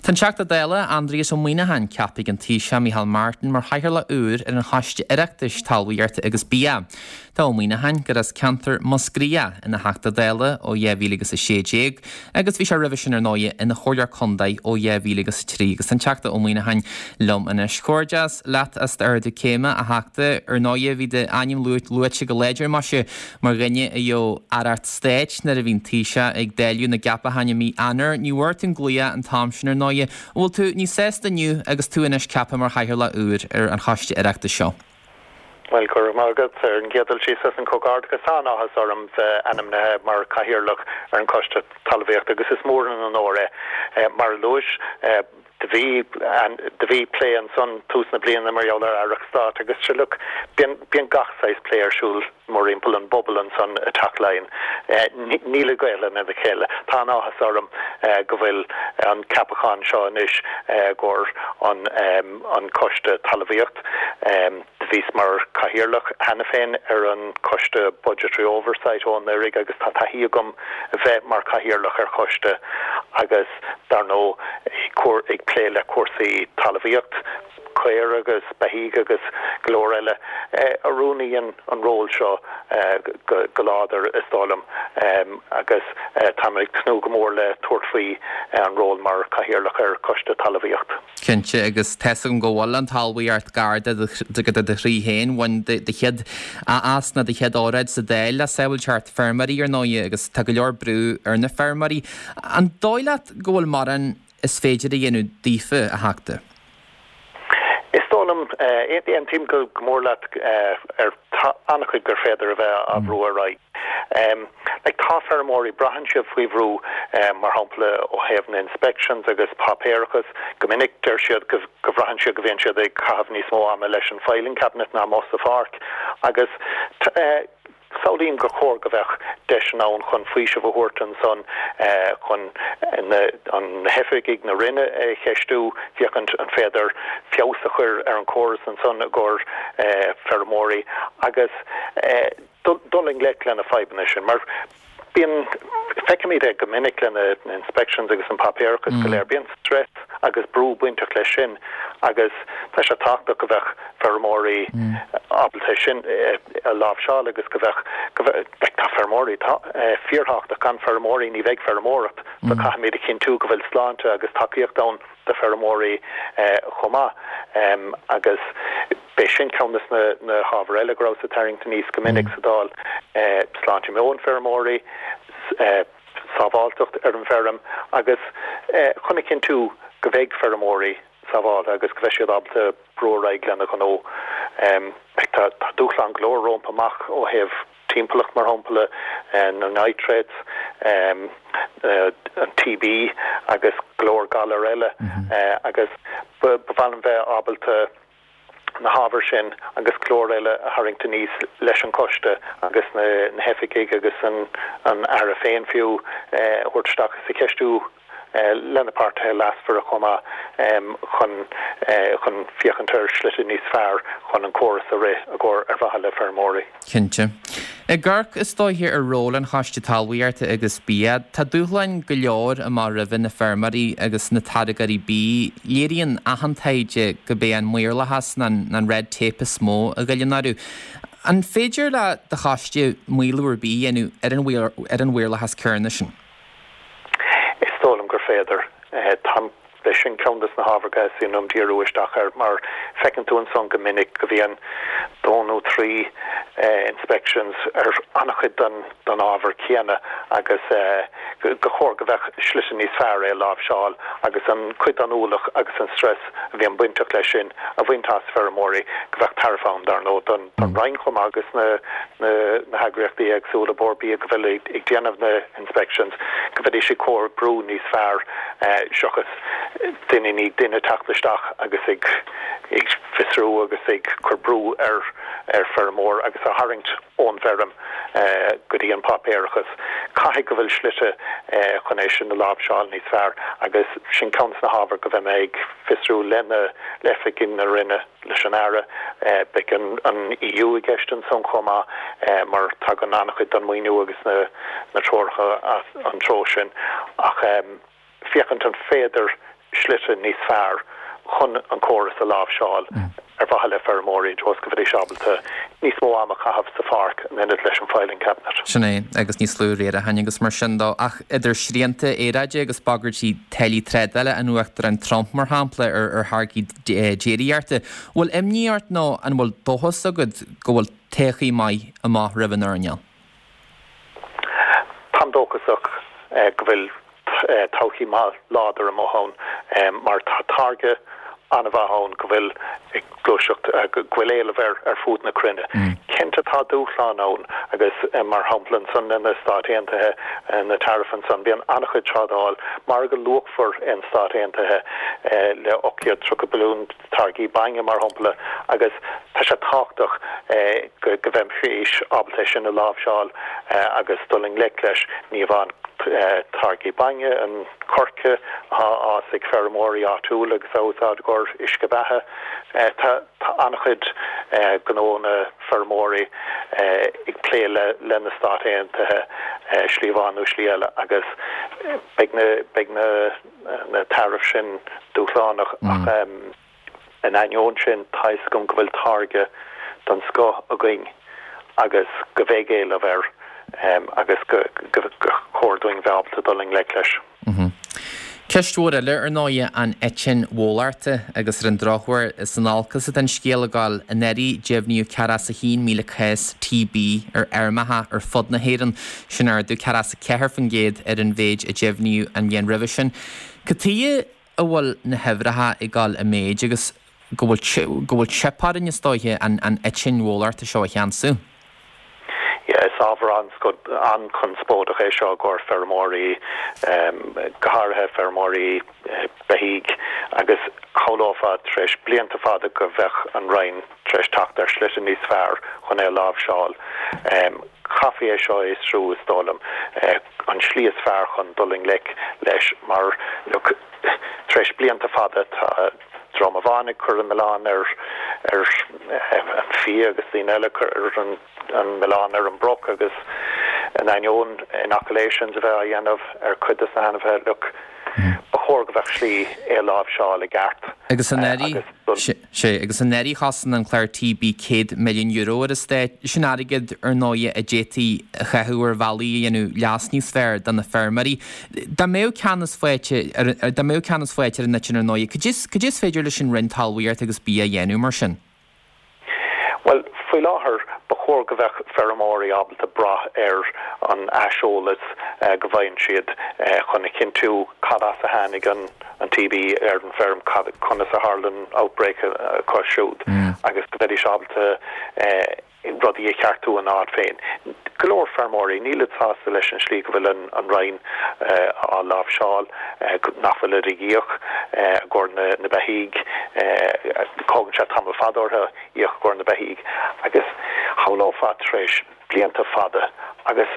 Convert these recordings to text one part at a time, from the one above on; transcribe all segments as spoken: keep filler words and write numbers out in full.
Tá an Teachta Dála Aindrias Ó Maoineacháin ceaptha ag an Taoiseach Micheál Martin mar chathaoirleach úr ar an Choiste Oireachtais Talmhaíochta agus Bia. Tá Ó Maoineacháin gur as ceantar Mhúscraí ina Theachta Dála ó dhá mhíle agus a sé déag agus bhí sé roimhe sin ar ndóigh ina chomhairleoir contae ó dhá mhíle agus a trí agus an Teachta Ó Maoineacháin liom anois. Comhghairdeas leat as d'ardú céime a Theachta ar ndóigh bhí d'ainm luaite go láidir mar mar dhuine a gheobhadh aireacht stáit nuair a bhí an Taoiseach ag dáileadh na gceapachán i mí Eanáir. Ní bhfuair tú an glaoch an t-am sin ar ndóigh. An bhfuil tú níos sásta inniu agus tú anois ceaptha mar chathaoirleach úr ar an Choiste Oireachtais seo. Well go raibh maith agat ar an gcéad dul síos as an comhghairdeachas an-áthas orm bheith ainmnithe mar chathaoirleach ar an Choiste Talmhaíochta agus is mór an onóir é mar a luais do bhí do bhí plé ansan tús na bliana mar gheall ar aireacht stáit agus sure look bíonn bíonn gach saghas plé ar siúl mórthimpeall an bpobal ansan i dTeach Laighean. Níl a Gaelainn ina chéile. Tá an-áthas orm go bhfuil an ceapachán seo anois gur an an Coiste Talmhaíocht. Bhíos mar chathaoirleach cheana féin ar an Coiste Budgetary Oversight ó anuraidh agus tá taithí agam bheith mar chathaoirleach ar choiste agus dar ndóigh ag plé le cúrsaí talmhaíocht, caor agus beithígh agus go leor eile. Oiriúnaíonn an ról seo go láidir is dóigh liom agus tá mé ag tnúth go mór le tabhairt faoi an ról mar chathaoirleach ar Choiste Talmhaíocht. Cinnte agus tá a fhios agam go bhfuil an talmhaíocht gar do do chroí féin bhain do chéad as na do chéad óráid sa Dáil le sábháilteacht feirmeoirí ar ndóigh agus tá go leor brú ar na feirmeoirí. An dóigh leat go bhfuil mórán is féidir a dhéanamh daofa a Theachta? Is dóigh liom aontaím go mór leat ar an-chuid gur féidir a bheith á bhrú ar aghaidh. Like tá feirmeoirí braitheann siad faoi bhrú mar shampla ó thaobh na inspections agus páipéarachas go minic deir siad go go bhraitheann siad go bhíonn siad ag caitheamh níos mó ama leis an filing cabinet ná amuigh sa pháirc agus Samhlaím gur chóir go bheadh deis ann chun faoiseamh a thabhairt ansan chun an hoifigigh na Roinne a cheistiú féachaint an féidir feabhas a chur ar an chóras ansan i gcomhair feirmeoirí agus dul i ngleic lena fadhbanna sin mar bíonn feicimid é go minic lena inspections agus an páipéarachas go léir bíonn stress agus brú bainteach leis sin agus tá sé tábhachtach go bheadh feirmeoirí ábalta sin a láimhseáil agus go bheadh go bheadh tá feirmeoirí tá fíorthábhachtach gan feirmeoirí ní bheidh feirmeoireacht so caithfimid a chinntiú go bhfuil sláinte agus tacaíocht ann do feirmeoirí chomh maith agus b'é sin ceann de na na hábhair eile go raibh sa tarraingt aníos go minic sa Dáil sláinte meon feirmeoirí sábháilteacht ar an bhfeirm agus chun a chinntiú go bheidh feirmeoirí sábháilte agus go bheidh siad ábalta brú ar aghaidh lena gnó. Tá tá dúshlán go leor rompu amach ó thaobh timpeallacht mar shampla na nitrates, an TB agus go leor galar eile agus ba mhaith liom bheith ábalta na hábhair sin agus go leor eile a tharraingt aníos leis an choiste agus na na hoifigigh agus an an Aire féin fiú a thabhairt isteach is a cheistiú lena páirtithe leasmhara chomh maith chun chun féachaint ar shlite níos fearr chun an córas a rith i gcomhair ar mhaithe le feirmeoirí. Cinnte. Ag amharc is dóiche ar ról an Choiste Talmhaíochta agus Bia, tá dúshláin go leor amach roimhe na feirmeoirí agus na táirgeoirí bídh. Léiríonn achan taighde gurb é an maorlathas ná an red tape is mó a ghoilleann orthu. An féidir le do choiste maolú ar bith a dhéanamh ar an ar an mhaorlathas céanna sin? Is dóigh liom gur féidir tá b'é sin ceann de na hábhair go dteastaíonn uaim díriú isteach air mar feiceann tú ansan go minic go bhíonn dó nó trí inspections ar an-chuid den den ábhar céanna agus go chóir go bheadh slite níos fearr é a láimhseáil agus an cuid den ualach agus an stress a bhíonn bainteach leis sin a bhaint as feirmeoirí go bheadh tairbhe ann dar ndóigh don don Roinn chomh maith agus na na na heagraíochtaí éagsúla Bord Bia go bhfuil ag déanamh na inspections go bhféadfaidh siad comhoibriú níos fearr seachas duine ní duine teacht isteach agus ag ag fiosrú agus ag cur brú ar ar feirmeoir agus a tharraingt ón bhfeirm go dtí an páipéarachas. Caithfidh go bhfuil slite chun é sin a láimhseáil níos fearr agus sin ceann de na hábhair go bheidh mé ag fiosrú lena le oifigigh na Roinne leis an Aire. Beidh an an EU i gceist ansan chomh maith mar tagann an-chuid den maoiniú agus na na treoracha as an treo sin ach féachaint an féidir slite níos fearr chun an córas a láimhseáil ar mhaithe le feirmeoirí agus go mbeidís ábalta níos mó ama a chaitheamh sa pháirc in ionad leis an filing cabinet. Sin é agus níos lú riaracháin agus mar sin de ach idir srianta aeráide agus bagairtí táillí trádála an Uachtaráin Trump mar shampla ar ar tháirgí déiríochta. Bhfuil imní ort nó an bhfuil dóchas agat go bhfuil todhchaí maith amach roimh an earnáil? Táim dóchasach go bhfuil todhchaí maith láidir amach ann mar tá táirge an-mhaith ann go bhfuil ag gluaiseacht go bhfuil éileamh air ar fud na cruinne. Cinnte tá dúshlán ann agus mar shampla ansan na Stáit Aontaithe na tariffs ansan bíonn an-chuid trádáil margadh luachmhar in Stáit Aontaithe le ocht gcéad tríocha billiún táirgí bainne mar shampla agus tá sé tábhachtach go go mbeimis ábalta sin a láimhseáil agus dul i ngleic leis ní amháin táirgí bainne an coirce atá á fhás ag feirmeoirí áitiúla agus a úsáid i gcomhair uisce beatha. Tá an-chuid gnónna feirmeoirí ag plé le le na Stáit Aontaithe slí amháin nó slí eile agus beidh na beidh na na tariffs sin dúshlánach ach in ainneoin sin tá fhios agam go bhfuil táirge den scoth againn agus go mbeidh éileamh air agus go chóir dúinn bheith ábalta dul i ngleic leis. Ceist mhór eile ar ndóigh an eitinn bhólachta agus ar an drochuair is in olcas atá an scéal ag dul anuraidh deimhníodh ceathracha a haon míle cás TB ar fheirmeacha ar fud na hÉireann, sin ardú ceathracha a ceathair faoin gcéad ar an mhéid a deimhníodh an bhliain roimhe sin. Cad chuige a bhfuil na huimhreacha ag dul i méid agus go bhfuil go bhfuil teip orainn is dóiche an an eitinn bhólachta seo a cheansú? Yeah, is ábhar an-chonspóideach é seo i gcomhair feirmeoirí, go háirithe feirmeoirí beithígh agus shamhlófá tar éis blianta fada go bheadh an Roinn tar éis teacht ar shlite níos fearr chun é a láimhseáil. Chaithfí é seo a fhiosrú is dóigh liom an slí is fearr chun dul i ngleic leis mar look, tar éis blianta fada tá dream amháin ag cur an milleán ar ar an fia agus daoine eile cur an an milleán ar an broc agus in ainneoin inoculations a bheith á dhéanamh ar chuid de na hainmhithe look ba chóir go bheadh slí é a láimhseáil i gceart. Agus anuraidh sé agus anuraidh chosain an clár TB céad milliún euro ar an stát sin airgead ar ndóigh a d'fhéadfaí a chaitheamh ar bhealaí a dhéanamh leas níos fearr do na feirmeoirí. Dá mbeadh ceannas faighte dá mbeadh ceannas faighte ar an eitinn ar ndóigh, cad is féidir leis an Roinn Talmhaíochta agus Bia a dhéanamh mar sin? Well, faoi láthair ba chóir go bheadh feirmeoirí ábalta brath ar an aiseolas go bhfaigheann siad chun a chinntiú cad as a tháinig an an TB ar an bhfeirm conas a tharla an outbreak acu siúd agus go mbeidís ábalta rudaí a cheartú an áit féin. Go leor feirmeoirí níl sásta leis an slí go bhfuil an, an Roinn á láimhseáil nach bhfuil ag íoc i gcomhair na, na beithígh tógann sé tamall fada orthu íoc i gcomhair na beithígh agus shamhlófá tar éis blianta fada agus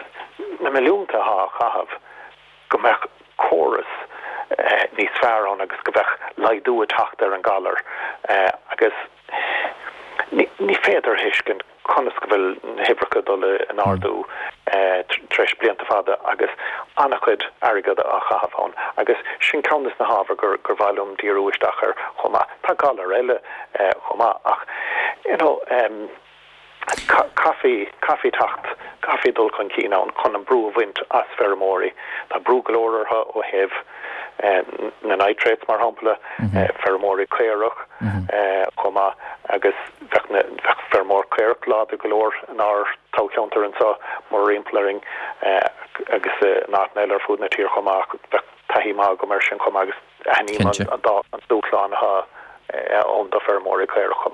na milliúnta á chaitheamh go mbeadh córas níos fearr ann agus go bheadh laghdú ag teacht ar an galar agus ní, ní féidir thuiscint conas go bhfuil na huimhreacha dul in ardú tar éis blianta fada agus an-chuid airgead á chaitheamh ann agus sin ceann de na hábhair gur gur mhaith liom díriú isteach air chomh maith. Tá galar eile chomh maith ach you know, um, caithfidh caithfidh teacht caithfidh dul chun cinn ann chun an brú a bhaint as feirmeoirí. Tá brú go leor orthu ó thaobh na nitrates mar shampla feirmeoirí caorach chomh maith agus bheadh bheadh feirmeoir caorach láidir go leor inár toghcheantar anseo mórthimpeall orainn agus in áiteanna eile ar fud na tíre chomh maith bheadh taithí maith agam air sin chomh maith agus aithním an dá an dúshlán atá ann do feirmeoirí caorach chomh maith.